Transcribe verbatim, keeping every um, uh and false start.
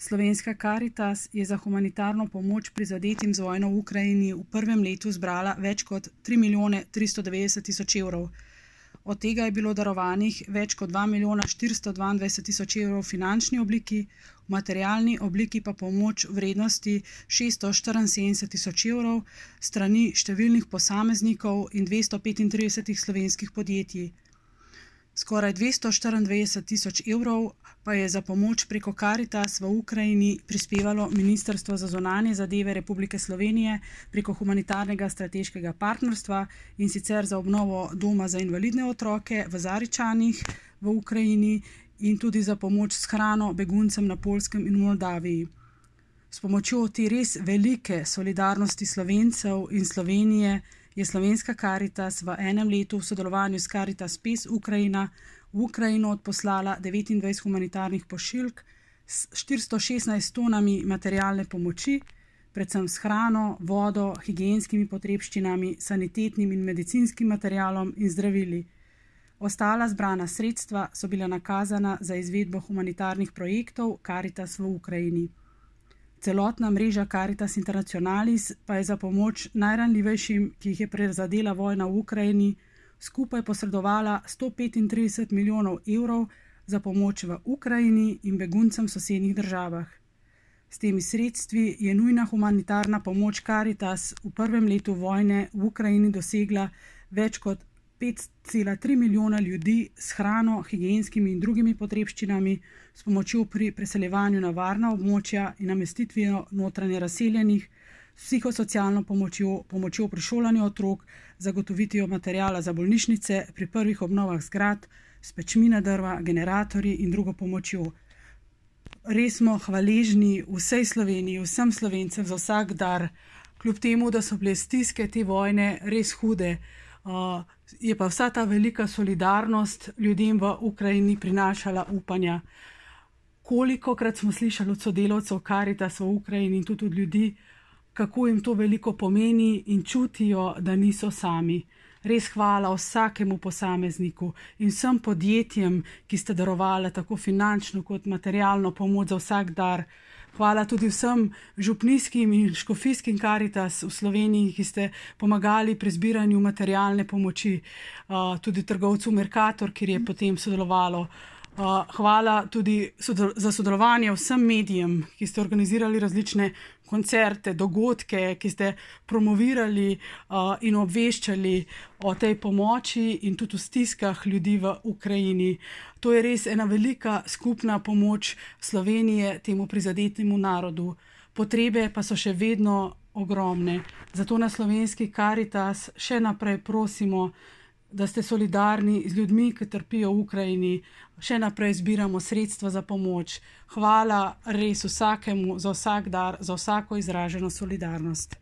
Slovenska Karitas je za humanitarno pomoč prizadetim z vojno v Ukrajini v prvem letu zbrala več kot tri milijone tristo devetdeset tisoč evrov. Od tega je bilo darovanih več kot dva milijona štiristo dvaindvajset tisoč evrov v finančni obliki, v materialni obliki pa pomoč v vrednosti šeststo štiriinsedemdeset tisoč evrov strani številnih posameznikov in dvesto petintrideset slovenskih podjetij. Skoraj dvesto štiriindvajset tisoč evrov pa je za pomoč preko Karitas v Ukrajini prispevalo Ministrstvo za zunanje zadeve Republike Slovenije preko humanitarnega strateškega partnerstva, in sicer za obnovo doma za invalidne otroke v Zaričanih v Ukrajini in tudi za pomoč s hrano beguncem na Poljskem in v Moldaviji. S pomočjo te res velike solidarnosti Slovencev in Slovenije je Slovenska Karitas v enem letu v sodelovanju s Karitas Pes Ukrajina v Ukrajino odposlala devetindvajset humanitarnih pošiljk s štiristo šestnajst tonami materialne pomoči, predvsem s hrano, vodo, higienskimi potrebščinami, sanitetnim in medicinskim materialom in zdravili. Ostala zbrana sredstva so bila nakazana za izvedbo humanitarnih projektov Karitas v Ukrajini. Celotna mreža Caritas Internationalis pa je za pomoč najranljivejšim, ki jih je prizadela vojna v Ukrajini, skupaj posredovala sto petintrideset milijonov evrov za pomoč v Ukrajini in beguncem v sosednjih državah. S temi sredstvi je nujna humanitarna pomoč Caritas v prvem letu vojne v Ukrajini dosegla več kot pet cela tri milijona ljudi s hrano, higienskimi in drugimi potrebščinami, s pomočjo pri preseljevanju na varna območja in namestitvijo notranje razseljenih, s psihosocialno pomočjo, pomočjo pri šolanju otrok, zagotovitvijo materijala za bolnišnice, pri prvih obnovah zgradb, s pečmi na drva, generatorji in drugo pomočjo. Res smo hvaležni vsej Sloveniji, vsem Slovencem za vsak dar, kljub temu, da so bile stiske te vojne res hude. Uh, je pa vsa ta velika solidarnost ljudem v Ukrajini prinašala upanja. Kolikokrat smo slišali od sodelavcev Caritas v Ukrajini in tudi od ljudi, kako jim to veliko pomeni in čutijo, da niso sami. Res hvala vsakemu posamezniku in vsem podjetjem, ki ste darovali tako finančno kot materialno pomoč za vsak dar. Hvala tudi vsem župnijskim in škofijskim Caritas v Sloveniji, ki ste pomagali pri zbiranju materialne pomoči, uh, tudi trgovcu Mercator, kjer je potem sodelovalo. Uh, hvala tudi sodel za sodelovanje vsem medijem, ki ste organizirali različne koncerte, dogodke, ki ste promovirali uh, in obveščali o tej pomoči in tudi v stiskah ljudi v Ukrajini. To je res ena velika skupna pomoč Slovenije temu prizadetemu narodu. Potrebe pa so še vedno ogromne. Zato na Slovenski Caritas še naprej prosimo, da ste solidarni z ljudmi, ki trpijo v Ukrajini. Še naprej zbiramo sredstva za pomoč. Hvala res vsakemu za vsak dar, za vsako izraženo solidarnost.